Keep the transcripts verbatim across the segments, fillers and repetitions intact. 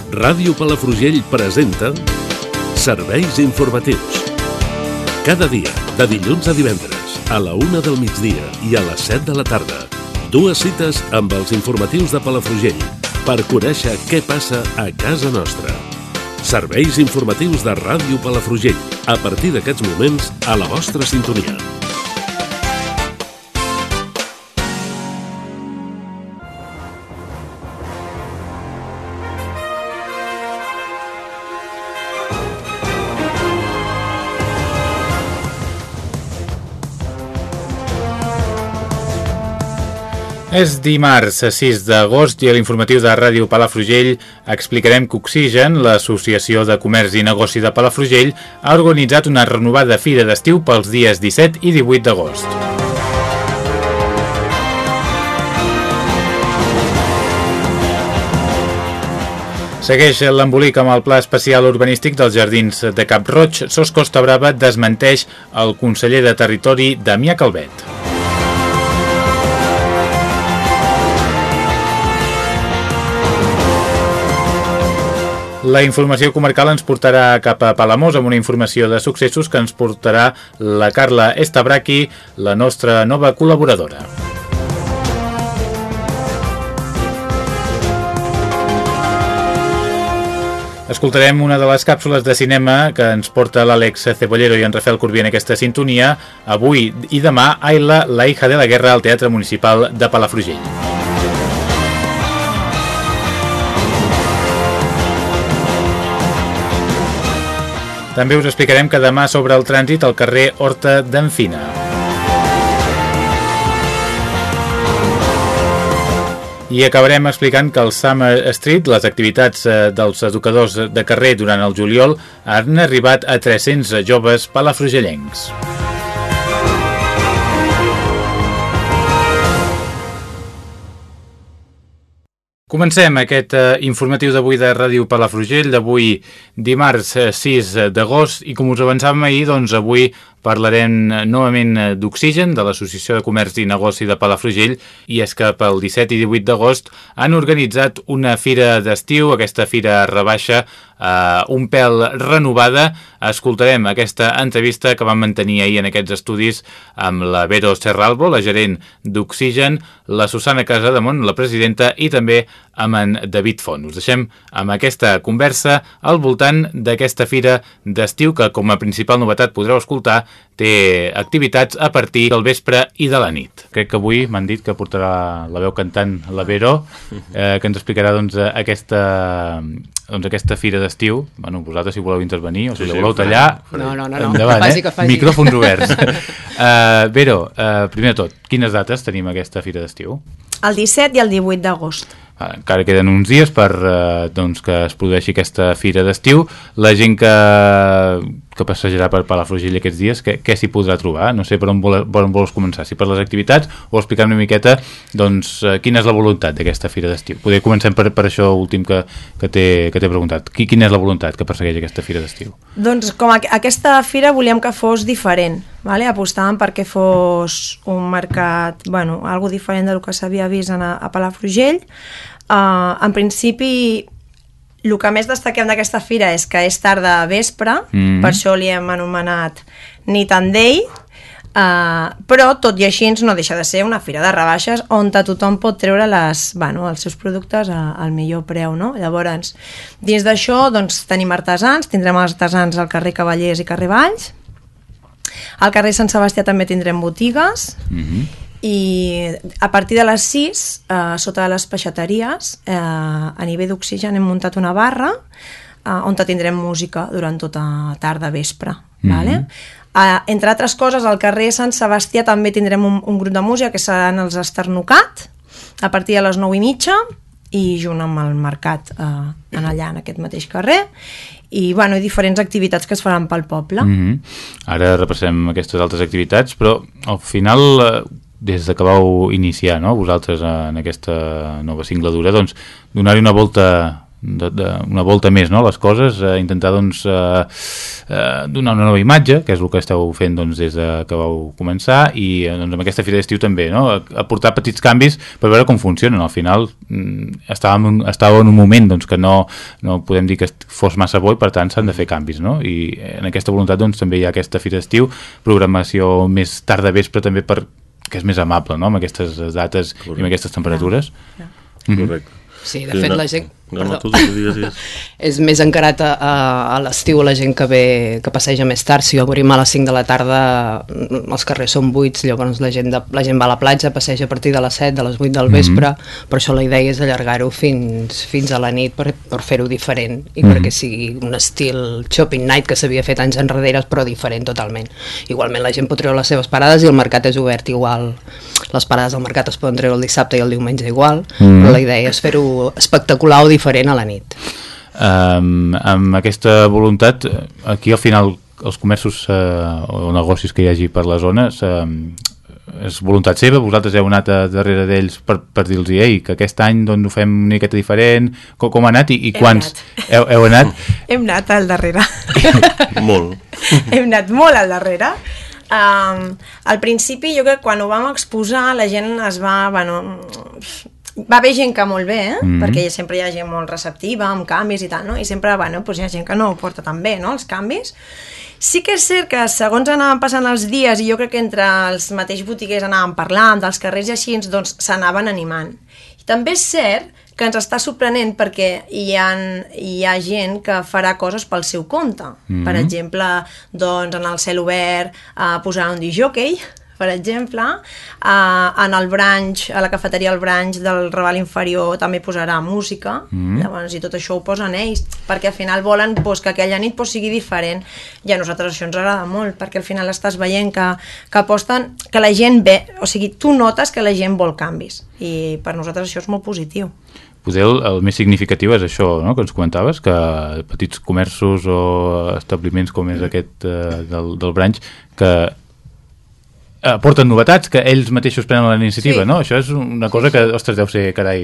Ràdio Palafrugell presenta Serveis informatius. Cada dia, de dilluns a divendres, a la una del migdia i a les set de la tarda. Dues cites amb els informatius de Palafrugell per conèixer què passa a casa nostra. Serveis informatius de Ràdio Palafrugell. A partir d'aquests moments, a la vostra sintonia. És dimarts sis d'agost i a l'informatiu de Ràdio Palafrugell explicarem que Oxigen, l'Associació de Comerç i Negoci de Palafrugell, ha organitzat una renovada fira d'estiu pels dies disset i divuit d'agost. Segueix l'embolic amb el Pla Especial Urbanístic dels Jardins de Cap Roig. Sos Costa Brava desmenteix el conseller de Territori, Damià Calvet. La informació comarcal ens portarà cap a Palamós amb una informació de successos que ens portarà la Carla Estabraqui, la nostra nova col·laboradora. Escoltarem una de les càpsules de cinema que ens porta l'Àlex Cebollero i en Rafael Corbí en aquesta sintonia. Avui i demà, Ayla, la hija de la guerra, al Teatre Municipal de Palafrugell. També us explicarem que demà s'obre el trànsit al carrer Horta d'en Fina. I acabarem explicant que al Summer Street les activitats dels educadors de carrer durant el juliol han arribat a tres-cents joves palafrugellencs. Comencem aquest eh, informatiu d'avui de Ràdio Palafrugell, d'avui dimarts sis d'agost, i com us avançàvem ahir, doncs avui parlarem novament d'Oxigen, de l'Associació de Comerç i Negoci de Palafrugell, i és que pel disset i divuit d'agost han organitzat una fira d'estiu, aquesta fira rebaixa, eh, un pèl renovada. Escoltarem aquesta entrevista que vam mantenir ahir en aquests estudis amb la Vero Serralbo, la gerent d'Oxigen, la Susana Casademont, la presidenta, i també amb en David Font. Us deixem amb aquesta conversa al voltant d'aquesta fira d'estiu que, com a principal novetat, podreu escoltar, té activitats a partir del vespre i de la nit. Crec que avui m'han dit que portarà la veu cantant la Vero, eh, que ens explicarà doncs, aquesta, doncs, aquesta fira d'estiu. Bueno, vosaltres si voleu intervenir o si sí, la voleu sí, tallar, no, no, no, endavant, faci, eh? faci. Micròfons oberts. uh, Vero, uh, primer de tot, quines dates tenim aquesta fira d'estiu? El disset i el divuit d'agost. Encara queden uns dies per eh, doncs, que es produeixi aquesta fira d'estiu. La gent que, que passejarà per Palafrugell aquests dies, què, què s'hi podrà trobar? No sé per on, vol, per on vols començar, si per les activitats o explicar una miqueta doncs, quina és la voluntat d'aquesta fira d'estiu. Poder comencem per, per això últim que, que t'he preguntat. Quina és la voluntat que persegueix aquesta fira d'estiu? Doncs com a, aquesta fira volíem que fos diferent, vale? Apostàvem perquè fos un mercat, bueno, algo diferent del que s'havia vist a, a Palafrugell. Uh, en principi, el que més destaquem d'aquesta fira és que és tarda a vespre, mm-hmm. per això li hem anomenat Nit and Day, uh, però tot i així no deixa de ser una fira de rebaixes on tothom pot treure les, bueno, els seus productes a, al millor preu, no? Llavors, dins d'això doncs, tenim artesans, tindrem els artesans al carrer Cavallers i carrer Valls, al carrer Sant Sebastià també tindrem botigues, mm-hmm. i a partir de les sis, eh, sota de les peixateries, eh, a nivell d'Oxigen hem muntat una barra eh, on tindrem música durant tota tarda, vespre. Mm-hmm. Vale? Eh, entre altres coses, al carrer Sant Sebastià també tindrem un, un grup de música que seran els Esternucat, a partir de les nou i mitja, i junt amb el mercat eh, en allà, en aquest mateix carrer, i bueno, i diferents activitats que es faran pel poble. Mm-hmm. Ara repassem aquestes altres activitats, però al final... Eh... des que vau iniciar, no?, vosaltres en aquesta nova singladura, doncs donar-hi una volta de, de una volta més, no?, les coses, eh, intentar doncs eh, eh, donar una nova imatge, que és el que esteu fent doncs, des de que vau començar, i eh, doncs, amb aquesta fira d'estiu també, no?, aportar petits canvis per veure com funcionen. Al final estàvem, estàvem en un moment doncs, que no, no podem dir que fos massa bo i per tant s'han de fer canvis, no? I en aquesta voluntat doncs, també hi ha aquesta fira d'estiu, programació més tard de vespre també per que és més amable, no?, amb aquestes dates. Correcte. I amb aquestes temperatures. Ja. Ja. Mm-hmm. Correcte. Sí, de fet, la gent... No, no, tu, tu, digues, digues. És més encarat a, a l'estiu la gent que ve, que passeja més tard. Si obrim a les cinc de la tarda, els carrers són buits, llavors la gent, de, la gent va a la platja, passeja a partir de les set, de les vuit del vespre, mm-hmm. per això la idea és allargar-ho fins, fins a la nit per, per fer-ho diferent i mm-hmm. perquè sigui un estil shopping night que s'havia fet anys enrere, però diferent totalment. Igualment la gent pot treure les seves parades i el mercat és obert igual. Les parades del mercat es poden treure el dissabte i el diumenge igual, mm-hmm. però la idea és fer-ho espectacular o diferent a la nit. Um, amb aquesta voluntat, aquí al final els comerços uh, o negocis que hi hagi per la zona uh, és voluntat seva, vosaltres heu anat a darrere d'ells per, per dir-los ei, que aquest any doncs, ho fem una miqueta diferent, com, com ha anat i, i quants heu, heu anat? Hem anat al darrere. Molt. Hem anat molt al darrere. Um, al principi jo crec que quan ho vam exposar la gent es va, bueno, va haver gent que molt bé, eh? Mm-hmm. Perquè sempre hi ha gent molt receptiva amb canvis i tal, no? I sempre, bueno, doncs hi ha gent que no ho porta tan bé, no?, els canvis. Sí que és cert que segons anaven passant els dies i jo crec que entre els mateixos botiguers anaven parlant dels carrers i així, doncs s'anaven animant. I també és cert que ens està sorprenent perquè hi ha, hi ha gent que farà coses pel seu compte. Mm-hmm. Per exemple, doncs en el cel obert eh, posarà un discjòquei, per exemple, uh, en el branch, a la cafeteria El Branch del Raval Inferior també posarà música, mm. llavors, i tot això ho posen ells, perquè al final volen pues, que aquella nit pues, sigui diferent, i a nosaltres això ens agrada molt, perquè al final estàs veient que, que aposten, que la gent ve, o sigui, tu notes que la gent vol canvis, i per nosaltres això és molt positiu. Potser el, el més significatiu és això, no?, que ens comentaves, que petits comerços o establiments com és aquest uh, del, del Branch, que aporten novetats que ells mateixos prenen la iniciativa, sí. No? Això és una cosa que, ostres, deu ser, carai,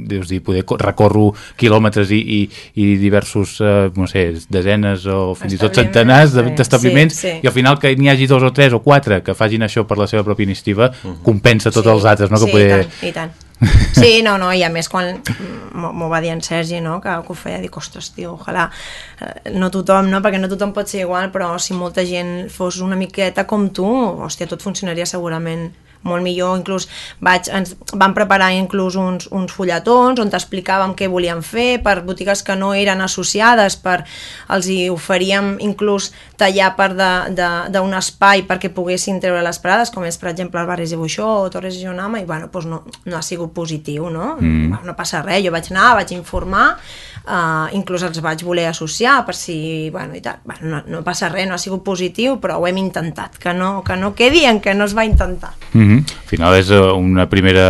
deus dir, poder recorro quilòmetres i, i, i diversos, eh, no sé, desenes o fins i tot centenars d'establiments, sí, sí. I al final que n'hi hagi dos o tres o quatre que facin això per la seva pròpia iniciativa, uh-huh. compensa tots sí. els altres, no? Que sí, poder... i tant, i tant. Sí, no, no, i a més quan m'ho va dir en Sergi, no, que, que ho feia, dic, ostres, tio, ojalà no tothom, no, perquè no tothom pot ser igual, però si molta gent fos una miqueta com tu, hòstia, tot funcionaria segurament molt millor. Inclús vaig, ens vam preparar inclús uns, uns fulletons on t'explicàvem què volíem fer per botigues que no eren associades, per, els hi oferíem inclús tallar part d'un espai perquè poguessin treure les parades, com és per exemple el Barris de Buixó o Torres de Jonama, i bueno, doncs no, no ha sigut positiu, no? Mm. No passa res, jo vaig anar, vaig informar, uh, inclús els vaig voler associar per si, bueno, i tal, bueno, no, no passa res, no ha sigut positiu, però ho hem intentat, que no, que no quedi en que no es va intentar. Mm. Al final és una primera,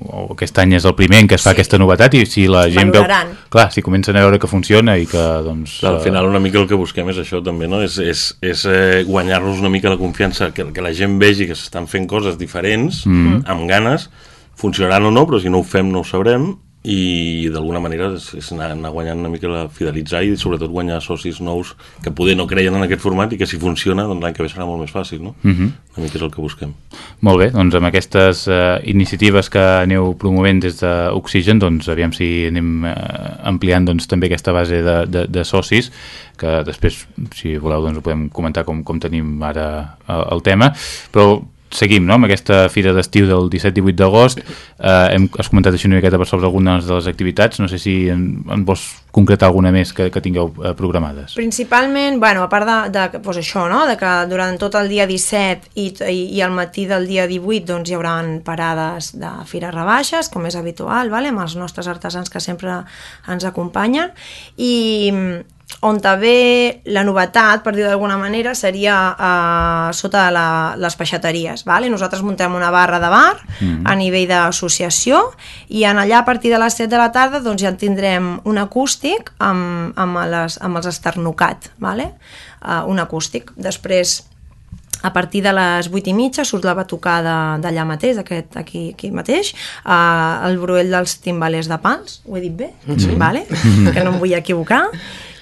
o aquest any és el primer en què es fa sí. aquesta novetat, i si la gent valoraran. Veu, clar, si comencen a veure que funciona i que doncs... Al final una mica el que busquem és això també, no? És, és, és eh, guanyar-nos una mica la confiança, que, que la gent vegi que s'estan fent coses diferents, mm. amb ganes, funcionaran o no, però si no ho fem no ho sabrem, i d'alguna manera és, és anar, anar guanyant una mica, la fidelitzar i sobretot guanyar socis nous que poder no creien en aquest format i que si funciona doncs l'any que ve serà molt més fàcil, no? Mm-hmm. Una mica és el que busquem. Molt bé, doncs amb aquestes uh, iniciatives que aneu promovent des d'Oxigen, doncs aviam si anem uh, ampliant doncs, també aquesta base de, de, de socis, que després, si voleu, doncs ho podem comentar com, com tenim ara el, el tema, però seguim, no?, amb aquesta fira d'estiu del disset divuit d'agost. Eh, hem, has comentat així una miqueta per sobre algunes de les activitats, no sé si en, en vols concretar alguna més que, que tingueu eh, programades. Principalment, bueno, a part de, de pues això, no?, de que durant tot el dia disset i, i, i al matí del dia divuit doncs, hi haurà parades de fires rebaixes, com és habitual, vale? Amb els nostres artesans que sempre ens acompanyen, i on també la novetat, per dir d'alguna manera, seria uh, sota la, les peixateries. Vale? Nosaltres muntem una barra de bar mm. a nivell d'associació, i en allà a partir de les set de la tarda doncs, ja tindrem un acústic amb, amb, les, amb els esternucat. Vale? Uh, un acústic. Després a partir de les vuit i mitja surt la batucada d'allà mateix, d'aquest aquí, aquí mateix, uh, el Bruell dels Timbalers de Pals, ho he dit bé? Sí. Vale? Que no em vull equivocar.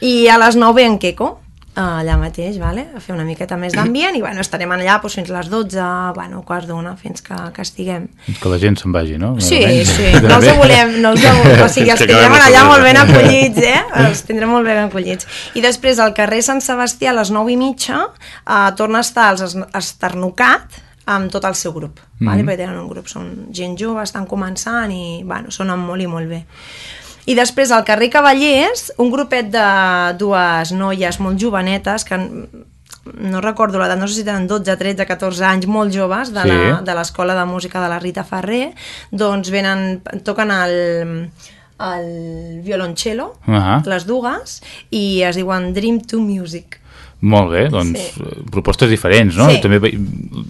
I a les nou ve en Queco, allà mateix, vale? A fer una miqueta més d'ambient i bueno, estarem allà doncs, fins les dotze, bueno, quarts d'una, fins que, que estiguem. Fins que la gent se'n vagi, no? Sí, sí, no els volem, no els volem, o sigui, els tindrem allà molt ben acollits, eh? Els tindrem molt ben acollits. I després al carrer Sant Sebastià a les nou i mitja eh, torna a estar els Esternucat amb tot el seu grup, mm-hmm. vale? Perquè tenen un grup, són gent jove, estan començant i bueno, sonen molt i molt bé. I després al carrer Cavallers, un grupet de dues noies molt jovenetes, que no recordo l'edat, no sé si tenen dotze, tretze, catorze anys, molt joves, de, sí. la, de l'Escola de Música de la Rita Ferrer, doncs venen, toquen el, el violoncello, uh-huh. les dues, i es diuen Dream to Music. Molt bé, doncs sí. propostes diferents, no? Sí. També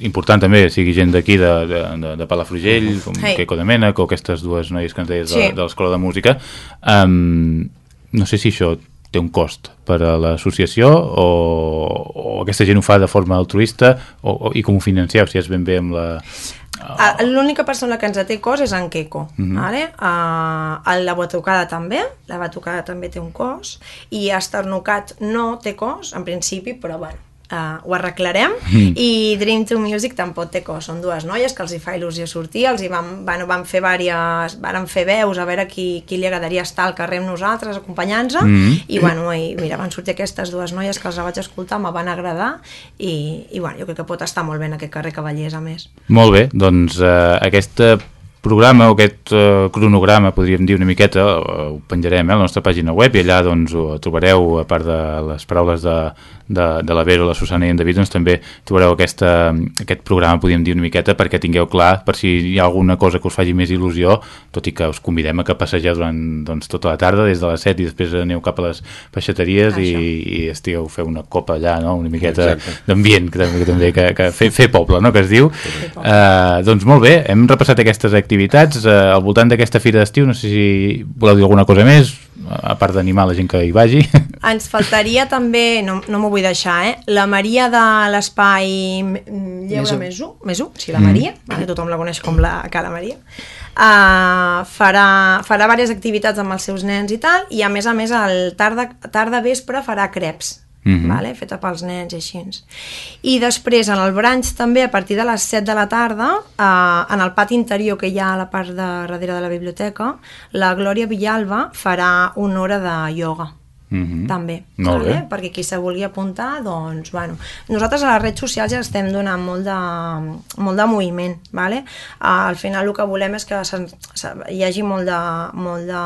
important també sigui gent d'aquí de, de, de, de Palafrugell, com hey. Queco de Mènec o aquestes dues noies que ens deies sí. de, de l'Escola de Música. Um, no sé si això té un cost per a l'associació o, o aquesta gent ho fa de forma altruista o, o, i com ho financeu, si és ben bé amb la... Uh, l'única persona que ens té cost és en Queco, uh-huh. vale? uh, la batucada també, la batucada també té un cost i Esternucat no té cost en principi, però bueno, uh, ho arreglarem mm. i Dream to Music tampoc té cost, són dues noies que els hi fa il·lusió sortir, els hi van, bueno, van fer vàries, van fer veus a veure qui, qui li agradaria estar al carrer amb nosaltres acompanyant-nos mm. i bueno, i, mira, van sortir aquestes dues noies que els vaig escoltar, me van agradar i, i bueno, jo crec que pot estar molt bé en aquest carrer Cavallers a més. Molt bé, doncs eh, aquesta programa o aquest uh, cronograma, podríem dir una miqueta, uh, ho penjarem eh, a la nostra pàgina web i allà doncs, ho trobareu, a part de les paraules de, de, de la Vero, la Susana i en David, doncs també trobareu aquesta, aquest programa, podríem dir una miqueta, perquè tingueu clar, per si hi ha alguna cosa que us faci més il·lusió, tot i que us convidem a que passegeu durant doncs, tota la tarda, des de les set i després aneu cap a les peixateries i, i estigueu, feu una copa allà, no? Una miqueta d'ambient, que també, que, també que, que fer, fer poble, no? Que es diu. Uh, doncs molt bé, hem repassat aquestes activitats activitats eh, al voltant d'aquesta fira d'estiu. No sé si voleu dir alguna cosa més a part d'animar la gent que hi vagi. Ens faltaria també, no, no m'ho vull deixar, eh? La Maria de l'Espai Lleure Mesu, Mesu, sí, la Maria, mm. vale, tothom la coneix com la Cara Maria, uh, farà, farà diverses activitats amb els seus nens i tal, i a més a més al tarda, tarda vespre farà creps. Mm-hmm. Vale? Feta pels nens i així. I després en el brunch també a partir de les set de la tarda eh, en el pati interior que hi ha a la part de darrere de la biblioteca, la Glòria Villalba farà una hora de ioga. Mm-hmm. També, vale? Perquè qui se vulgui apuntar, doncs, bueno, nosaltres a les redes socials ja estem donant molt de, molt de moviment, vale? Uh, al final el que volem és que se, se, hi hagi molt de, molt de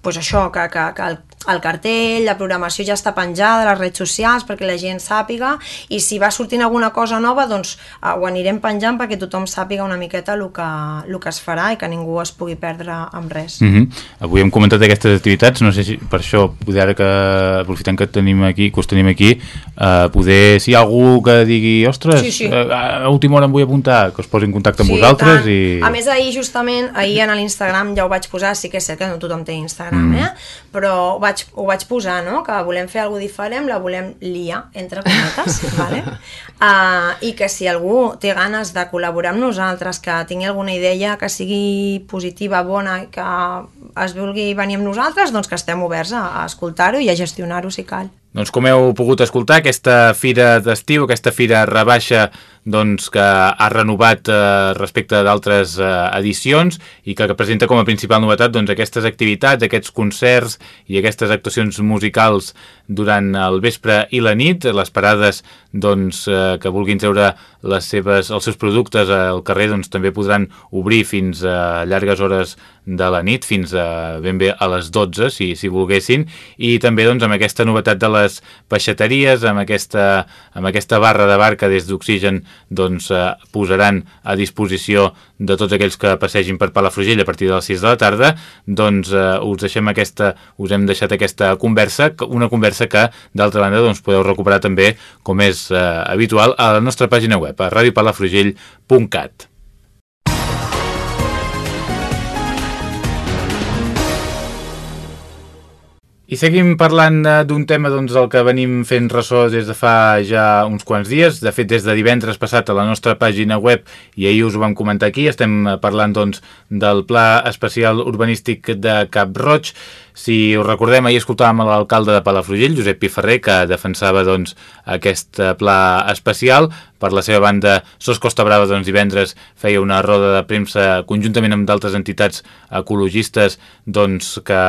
pues això, que, que, que el, el cartell, la programació ja està penjada a les redes socials perquè la gent sàpiga, i si va sortint alguna cosa nova, doncs uh, ho anirem penjant perquè tothom sàpiga una miqueta el que, el que es farà i que ningú es pugui perdre amb res. Mm-hmm. Avui hem comentat aquestes activitats, no sé si per això, poder ara que aprofitant que tenim aquí, que us tenim aquí, uh, poder, si hi ha algú que digui, ostres, sí, sí. Uh, a última hora em vull apuntar, que us posi en contacte amb sí, vosaltres. I... A més, ahir justament, ahir en l'Instagram ja ho vaig posar, sí que és cert que no tothom té Instagram, Mm. eh? però ho vaig, ho vaig posar, no? Que volem fer alguna diferent, la volem liar, entre cometes, vale? uh, i que si algú té ganes de col·laborar amb nosaltres, que tingui alguna idea que sigui positiva, bona, que es vulgui venir amb nosaltres, doncs que estem oberts a, a escoltar-ho i a gestionar-ho si cal. Doncs com heu pogut escoltar, aquesta fira d'estiu, aquesta fira rebaixa doncs, que ha renovat eh, respecte d'altres eh, edicions i que, que presenta com a principal novetat doncs, aquestes activitats, aquests concerts i aquestes actuacions musicals durant el vespre i la nit, les parades doncs, eh, que vulguin treure les seves, els seus productes al carrer doncs, també podran obrir fins a llargues hores de la nit, fins a ben bé a les dotze, si, si volguessin, i també doncs, amb aquesta novetat de les peixateries, amb aquesta, amb aquesta barra de bar que des d'Oxigen doncs, eh, posaran a disposició de tots aquells que passegin per Palafrugell a partir de les sis de la tarda, doncs eh, us deixem aquesta, us hem deixat aquesta conversa, una conversa que d'altra banda doncs, podeu recuperar també, com és eh, habitual, a la nostra pàgina web, a radio palafrugell punt cat. I seguim parlant d'un tema doncs, del que venim fent ressò des de fa ja uns quants dies. De fet, des de divendres passat a la nostra pàgina web, i ahir us ho vam comentar aquí, estem parlant doncs, del Pla Especial Urbanístic de Cap-roig. Si us recordem, ahir escoltàvem l'alcalde de Palafrugell, Josep Piferrer, que defensava doncs, aquest pla especial. Per la seva banda, Sos Costa Brava doncs, divendres feia una roda de premsa conjuntament amb d'altres entitats ecologistes doncs, que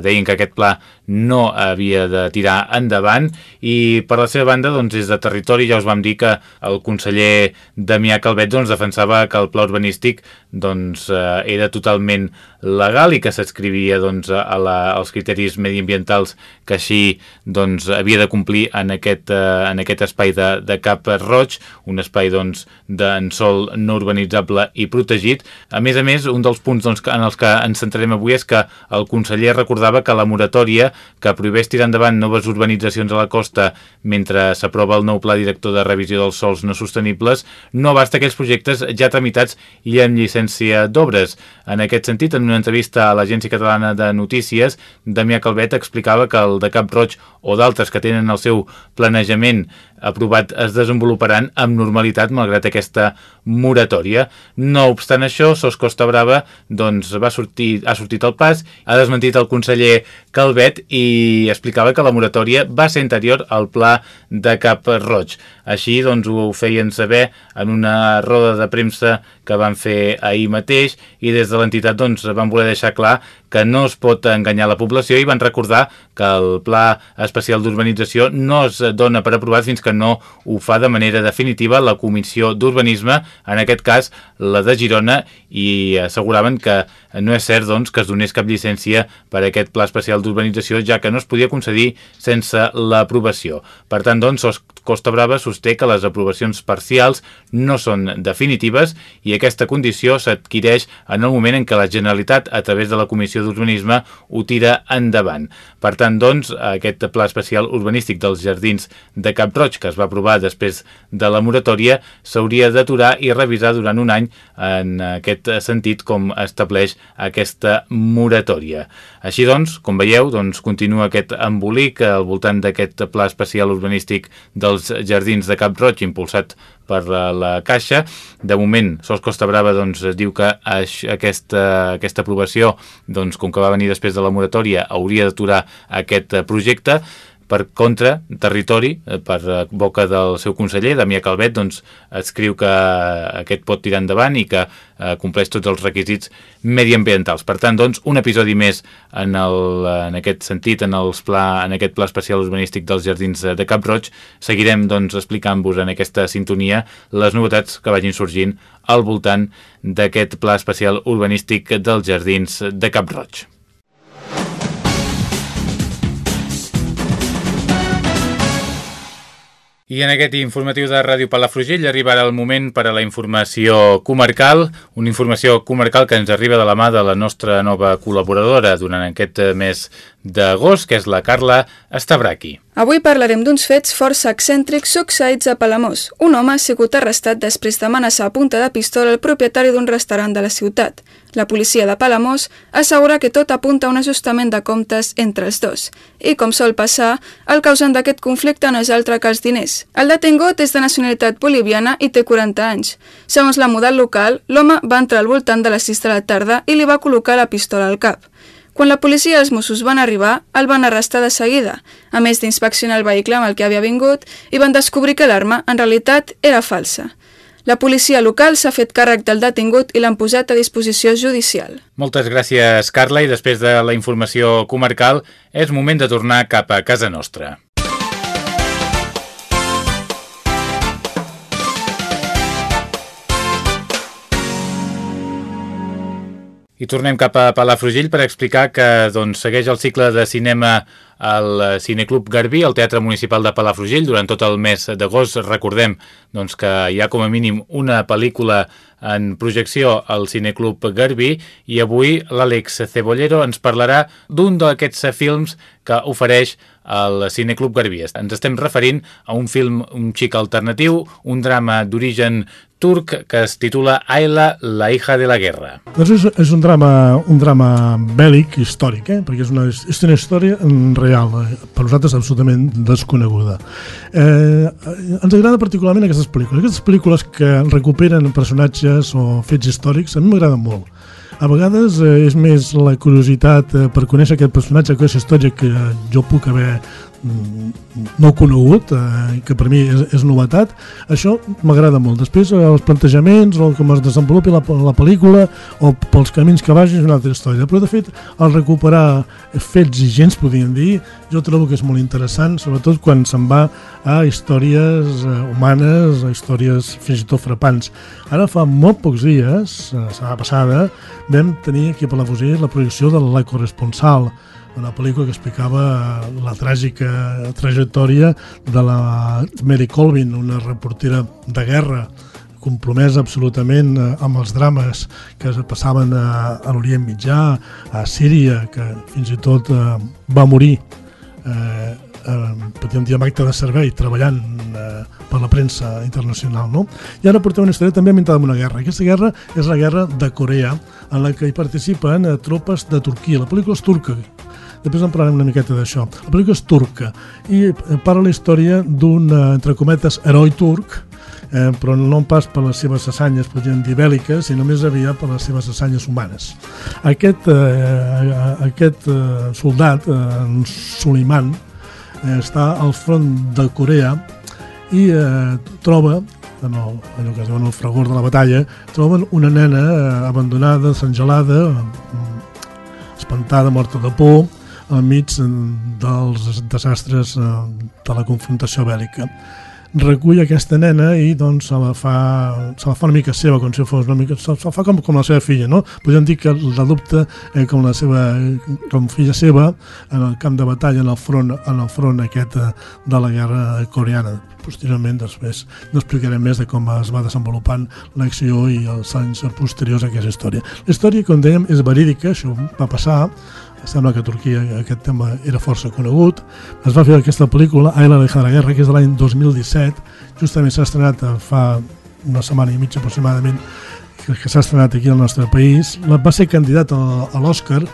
deien que aquest pla no havia de tirar endavant, i per la seva banda, doncs, des de Territori ja us vam dir que el conseller Damià Calvet doncs, defensava que el pla urbanístic doncs, era totalment legal i que s'adscrivia doncs, a la, als criteris mediambientals que així doncs, havia de complir en aquest, en aquest espai de, de Cap-roig, un espai doncs, d'en sòl no urbanitzable i protegit. A més a més, un dels punts doncs, en els que ens centrarem avui és que el conseller recordava que la moratòria que prohibeix tirar endavant noves urbanitzacions a la costa mentre s'aprova el nou pla director de revisió dels sòls no sostenibles no abasta aquells projectes ja tramitats i amb llicència d'obres. En aquest sentit, en una entrevista a l'Agència Catalana de Notícies, Damià Calvet explicava que el de Cap-roig o d'altres que tenen el seu planejament aprovat es desenvoluparan amb normalitat malgrat aquesta moratòria. No obstant això, Sos Costa Brava doncs, va sortir, ha sortit al pas, ha desmentit el conseller Calvet i explicava que la moratòria va ser anterior al pla de Cap-roig. Així doncs, ho feien saber en una roda de premsa que van fer ahir mateix, i des de l'entitat doncs, van voler deixar clar que no es pot enganyar la població i van recordar que el Pla Especial d'Urbanització no es dona per aprovat fins que no ho fa de manera definitiva la Comissió d'Urbanisme, en aquest cas la de Girona, i asseguraven que no és cert doncs, que es donés cap llicència per a aquest Pla Especial d'Urbanització, ja que no es podia concedir sense l'aprovació. Per tant, doncs, Sos Costa Brava sosté que les aprovacions parcials no són definitives i aquesta condició s'adquireix en el moment en què la Generalitat, a través de la Comissió d'Urbanisme, ho tira endavant. Per tant, doncs, aquest Pla Especial Urbanístic dels Jardins de Cap-roig, que es va aprovar després de la moratòria, s'hauria d'aturar i revisar durant un any en aquest sentit com estableix aquesta moratòria. Així doncs, com veieu, doncs, continua aquest embolic al voltant d'aquest Pla Especial Urbanístic dels Jardins de Cap-roig impulsat per la Caixa. De moment, Sos Costa Brava doncs, diu que aquesta, aquesta aprovació, doncs, com que va venir després de la moratòria, hauria d'aturar aquest projecte. Per contra, Territori, per boca del seu conseller, Damià Calvet, doncs, escriu que aquest pot tirar endavant i que eh, compleix tots els requisits mediambientals. Per tant, doncs, un episodi més en, el, en aquest sentit, en, els pla, en aquest Pla Especial Urbanístic dels Jardins de Cap-roig. Seguirem doncs, explicant-vos en aquesta sintonia les novetats que vagin sorgint al voltant d'aquest Pla Especial Urbanístic dels Jardins de Cap-roig. I en aquest informatiu de Ràdio Palafrugell arribarà el moment per a la informació comarcal, una informació comarcal que ens arriba de la mà de la nostra nova col·laboradora durant aquest mes d'agost, que és la Carla Estabraqui. Avui parlarem d'uns fets força excèntrics succeïts a Palamós. Un home ha sigut arrestat després d'amenaçar a punta de pistola el propietari d'un restaurant de la ciutat. La policia de Palamós assegura que tot apunta a un ajustament de comptes entre els dos. I, com sol passar, el causant d'aquest conflicte no és altre que els diners. El detingut és de nacionalitat boliviana i té quaranta anys. Segons la model local, l'home va entrar al voltant de les sis de la tarda i li va col·locar la pistola al cap. Quan la policia i els Mossos van arribar, el van arrestar de seguida, a més d'inspeccionar el vehicle amb el que havia vingut, i van descobrir que l'arma, en realitat, era falsa. La policia local s'ha fet càrrec del detingut i l'han posat a disposició judicial. Moltes gràcies, Carla, i després de la informació comarcal, és moment de tornar cap a casa nostra. I tornem cap a Palafrugell per explicar que doncs, segueix el cicle de cinema al Cineclub Garbí, al Teatre Municipal de Palafrugell, durant tot el mes d'agost. Recordem doncs, que hi ha com a mínim una pel·lícula en projecció al Cineclub Garbí i avui l'Àlex Cebollero ens parlarà d'un d'aquests films que ofereix el Cineclub Garbí. Ens estem referint a un film un xic alternatiu, un drama d'origen turc que es titula Ayla, la hija de la guerra. Doncs és, és un drama, un drama bèl·lic històric, eh? Perquè és una, és una història real, eh? Per nosaltres absolutament desconeguda. Eh, ens agraden particularment aquestes pel·lícules. Aquestes pel·lícules que recuperen personatges o fets històrics a mi m'agraden molt. A vegades eh, és més la curiositat eh, per conèixer aquest personatge, aquesta història que jo puc haver no conegut, eh, que per mi és, és novetat. Això m'agrada molt. Després eh, els plantejaments o com es desenvolupi la, la pel·lícula o pels camins que vagin és una altra història, però de fet al recuperar fets i gens, podríem dir, jo trobo que és molt interessant, sobretot quan se'n va a històries eh, humanes, a històries fins i tot frapants. Ara fa molt pocs dies, la setmana passada, vam tenir aquí a Palafrugell la projecció de La corresponsal, una pel·lícula que explicava la tràgica trajectòria de la Mary Colvin, una reportera de guerra compromesa absolutament amb els drames que passaven a, a l'Orient Mitjà, a Síria, que fins i tot eh, va morir eh, eh, podríem dir amb acte de servei, treballant eh, per la premsa internacional, no? I ara portem una història també ambientada en una guerra. Aquesta guerra és la guerra de Corea, en la que hi participen eh, tropes de Turquia. La pel·lícula és turca. Després en parlarem una miqueta d'això. La pel·lícula és turca i parla la història d'un, entre cometes, heroi turc, eh, però no pas per les seves assanyes, podríem dir, bèl·liques, sinó més aviat per les seves assanyes humanes. Aquest, eh, aquest eh, soldat, eh, Suleiman, eh, està al front de Corea i eh, troba, en el, allò que es diu en el fragor de la batalla, troben una nena eh, abandonada, desangelada, espantada, morta de por, enmig dels desastres de la confrontació bèl·lica. Recull aquesta nena i doncs se la fa, se la fa una mica seva, com si fos una mica, se la fa com, com la seva filla, no? Podríem dir que l'adopta eh, com la seva, com filla seva en el camp de batalla, en el front, en el front aquest de la guerra coreana. Posteriorment, després, no explicarem més de com es va desenvolupant l'acció i els anys posteriors a aquesta història. La història, com dèiem, és verídica, això va passar. Sembla que a Turquia aquest tema era força conegut. Es va fer aquesta pel·lícula, Ayla, la hija de la guerra, que és de l'any dos mil disset. Justament s'ha estrenat fa una setmana i mitja aproximadament que s'ha estrenat aquí al nostre país. Va ser candidat a l'Oscar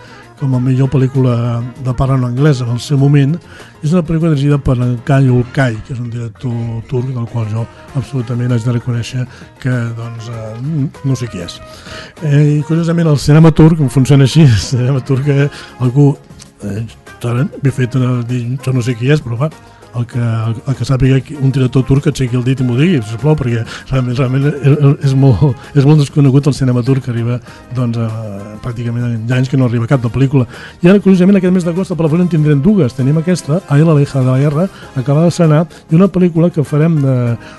com a millor pel·lícula de parla no anglesa en el seu moment. És una pel·lícula dirigida per Kay Ulkay, que és un director turc del qual jo absolutament haig de reconèixer que doncs, eh, no sé qui és. Eh, I curiosament el cinema turc funciona així, el cinema turc que algú eh, m'he fet una, dir, jo no sé qui és, però va, el que, el, el que sàpiga un director turc que aixequi el dit i m'ho digui, sisplau, perquè realment, realment és, molt, és molt desconegut el cinema turc, que arriba doncs, a, pràcticament hi ha anys que no arriba cap de pel·lícula. I ara, curiosament, aquest mes d'agost a Palafrugell en tindrem dues. Tenim aquesta, Ayla, la hija de la guerra, acaba d'estrenar, i una pel·lícula que farem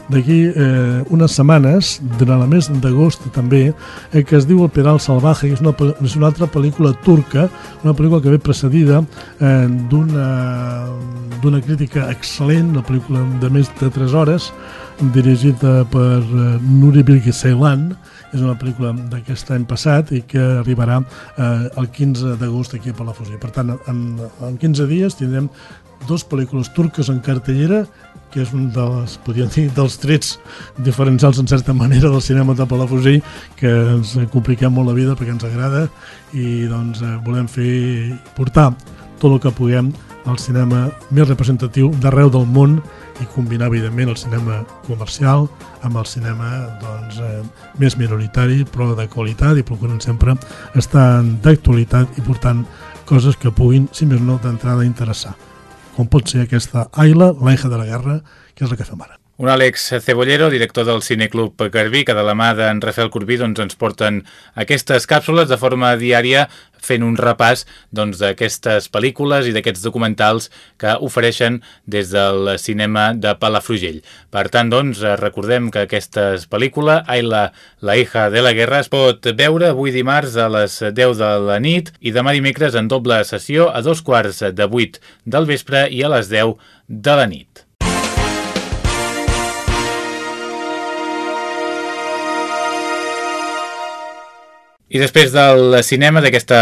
d'aquí eh, unes setmanes, durant el mes d'agost també, eh, que es diu El Pedal Salvaje, que és una, és una altra pel·lícula turca, una pel·lícula que ve precedida eh, d'una d'una crítica excel·lent, una pel·lícula de més de tres hores, dirigida per Nuri Bilge Ceylan. És una pel·lícula d'aquest any passat i que arribarà eh, el quinze d'agost aquí a Palafrugell. Per tant, en, en quinze dies tindrem dues pel·lícules turques en cartellera, que és un dels, podríem dir, dels trets diferencials en certa manera del cinema de Palafrugell, que ens compliquem molt la vida perquè ens agrada i doncs eh, volem fer portar tot el que puguem al cinema més representatiu d'arreu del món i combinar, evidentment, el cinema comercial amb el cinema doncs, eh, més minoritari, però de qualitat, i procurant sempre estar d'actualitat i portant coses que puguin, si més no, d'entrada interessar. Com pot ser aquesta Ayla, la hija de la guerra, que és la que fem ara. Un Àlex Cebollero, director del Cineclub Garbí, que de la mà d'en Rafael Corbí doncs, ens porten aquestes càpsules de forma diària fent un repàs d'aquestes doncs, pel·lícules i d'aquests documentals que ofereixen des del cinema de Palafrugell. Per tant, doncs, recordem que aquesta pel·lícula, Ayla, la hija de la guerra, es pot veure avui dimarts a les deu de la nit i demà dimecres en doble sessió a dos quarts de vuit del vespre i a les deu de la nit. I després del cinema, d'aquesta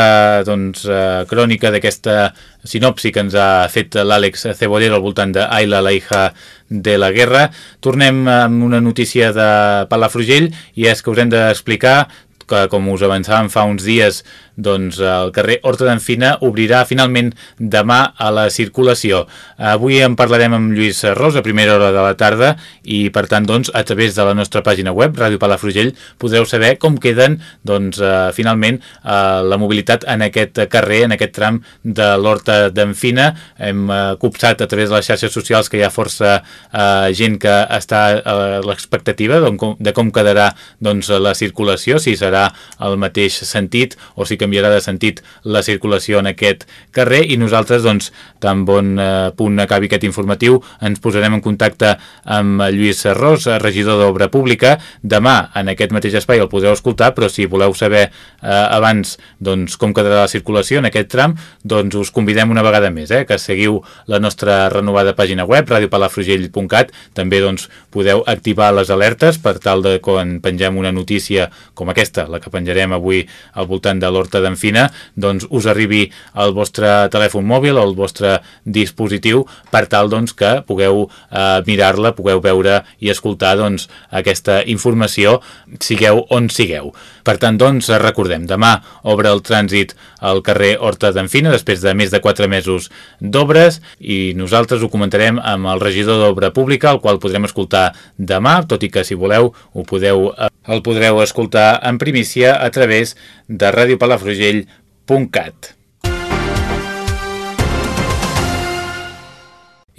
doncs, uh, crònica, d'aquesta sinopsi que ens ha fet l'Àlex Cebollero al voltant d'Ayla, la hija de la guerra, tornem amb una notícia de Palafrugell, i és que us hem d'explicar que, com us avançàvem fa uns dies, doncs el carrer Horta d'en Fina obrirà finalment demà a la circulació. Avui en parlarem amb Lluís Ros a primera hora de la tarda, i per tant doncs a través de la nostra pàgina web Ràdio Palafrugell podreu saber com queden doncs eh, finalment eh, la mobilitat en aquest carrer, en aquest tram de l'Horta d'en Fina. Hem eh, copsat a través de les xarxes socials que hi ha força eh, gent que està a l'expectativa de com, de com quedarà doncs la circulació, si serà el mateix sentit o si canviarà de sentit la circulació en aquest carrer, i nosaltres, doncs, tan bon eh, punt acabi aquest informatiu, ens posarem en contacte amb Lluís Ros, regidor d'Obra Pública. Demà, en aquest mateix espai, el podreu escoltar, però si voleu saber eh, abans doncs, com quedarà la circulació en aquest tram, doncs us convidem una vegada més, eh, que seguiu la nostra renovada pàgina web, radio palafrugell punt cat. També doncs, podeu activar les alertes per tal de quan pengem una notícia com aquesta, la que penjarem avui al voltant de l'Horta d'en Fina, doncs us arribi al vostre telèfon mòbil o al vostre dispositiu per tal doncs, que pugueu eh, mirar-la, pugueu veure i escoltar doncs, aquesta informació, sigueu on sigueu. Per tant, doncs, recordem, demà obre el trànsit al carrer Horta d'en Fina després de més de quatre mesos d'obres, i nosaltres ho comentarem amb el regidor d'Obra Pública, el qual podrem escoltar demà, tot i que si voleu ho podeu, el podreu escoltar en primícia a través de radio palafrugell punt cat.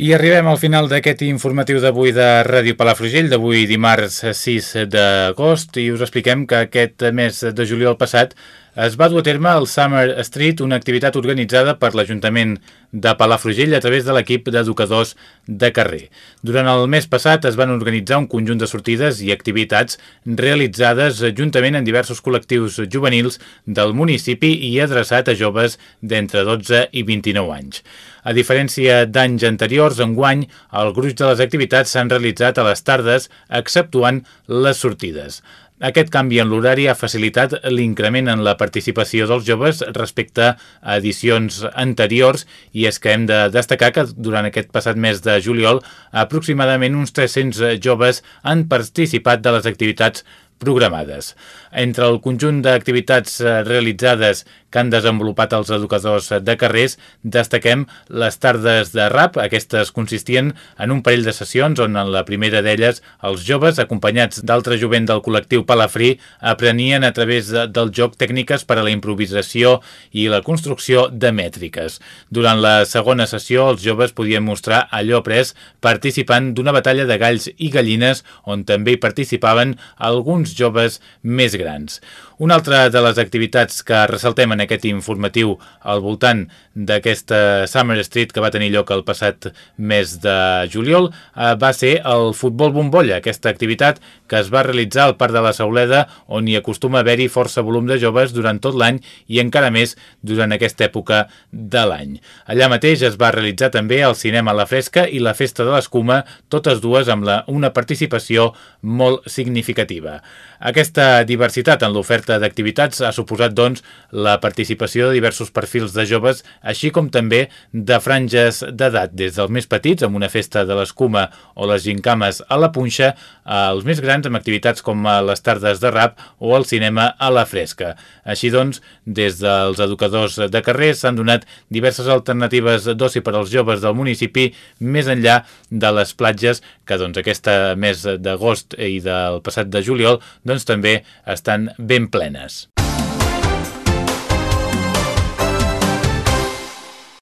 I arribem al final d'aquest informatiu d'avui de Ràdio Palafrugell, d'avui dimarts sis d'agost, i us expliquem que aquest mes de juliol passat es va dur a terme el Summer Street, una activitat organitzada per l'Ajuntament de Palafrugell a través de l'equip d'educadors de carrer. Durant el mes passat es van organitzar un conjunt de sortides i activitats realitzades juntament en diversos col·lectius juvenils del municipi i adreçat a joves d'entre dotze i vint-i-nou anys. A diferència d'anys anteriors, enguany, el gruix de les activitats s'han realitzat a les tardes, exceptuant les sortides. Aquest canvi en l'horari ha facilitat l'increment en la participació dels joves respecte a edicions anteriors, i és que hem de destacar que durant aquest passat mes de juliol aproximadament uns tres-cents joves han participat de les activitats programades. Entre el conjunt d'activitats realitzades que han desenvolupat els educadors de carrers, destaquem les tardes de rap. Aquestes consistien en un parell de sessions on en la primera d'elles els joves, acompanyats d'altre jovent del col·lectiu Palafrí, aprenien a través de, del joc tècniques per a la improvisació i la construcció de mètriques. Durant la segona sessió, els joves podien mostrar allò après participant d'una batalla de galls i gallines on també hi participaven alguns joves més grans. Una altra de les activitats que ressaltem en aquest informatiu al voltant d'aquesta Summer Street que va tenir lloc el passat mes de juliol eh, va ser el futbol bombolla, aquesta activitat que es va realitzar al Parc de la Sauleda, on hi acostuma a haver-hi força volum de joves durant tot l'any i encara més durant aquesta època de l'any. Allà mateix es va realitzar també el cinema a la fresca i la festa de l'escuma, totes dues amb la, una participació molt significativa. Aquesta diversitat en l'oferta d'activitats ha suposat, doncs, la participació de diversos perfils de joves, així com també de franges d'edat, des dels més petits, amb una festa de l'escuma o les gincames a la punxa, als més grans amb activitats com les tardes de rap o el cinema a la fresca. Així doncs, des dels educadors de carrer s'han donat diverses alternatives d'oci per als joves del municipi, més enllà de les platges, que doncs aquest mes d'agost i del passat de juliol doncs també estan ben plenes.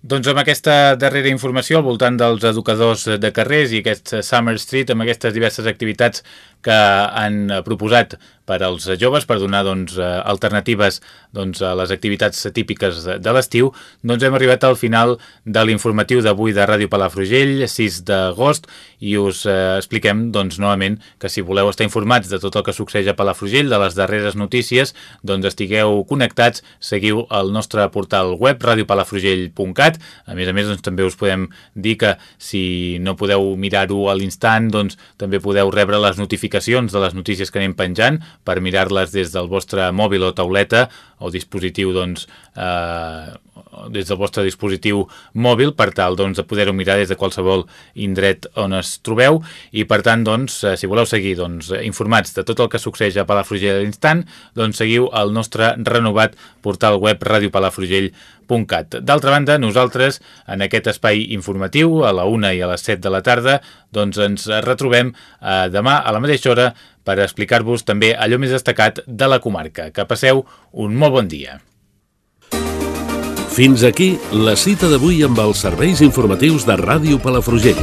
Doncs amb aquesta darrera informació al voltant dels educadors de carrers i aquest Summer Street, amb aquestes diverses activitats que han proposat per als joves per donar doncs, alternatives doncs, a les activitats típiques de l'estiu, doncs hem arribat al final de l'informatiu d'avui de Ràdio Palafrugell, sis d'agost, i us eh, expliquem doncs, novament que si voleu estar informats de tot el que succeeix a Palafrugell, de les darreres notícies, doncs estigueu connectats, seguiu el nostre portal web radio palafrugell punt cat. A més a més, doncs, també us podem dir que si no podeu mirar-ho a l'instant, doncs també podeu rebre les notificacions de les notícies que anem penjant per mirar-les des del vostre mòbil o tauleta o dispositiu, doncs, eh, des del vostre dispositiu mòbil, per tal, doncs, de poder-ho mirar des de qualsevol indret on es trobeu, i per tant, doncs, si voleu seguir, doncs, informats de tot el que succeeix a Palafrugell a l'instant, doncs seguiu el nostre renovat portal web radio palafrugell punt cat. D'altra banda, nosaltres, en aquest espai informatiu, a la una i a les set de la tarda, doncs ens retrobem eh, demà a la mateixa hora per explicar-vos també allò més destacat de la comarca. Que passeu un molt bon dia. Fins aquí la cita d'avui amb els serveis informatius de Ràdio Palafrugell.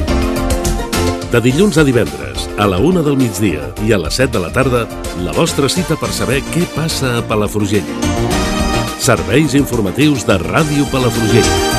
De dilluns a divendres, a la una del migdia i a les set de la tarda, la vostra cita per saber què passa a Palafrugell. Serveis informatius de Ràdio Palafrugell.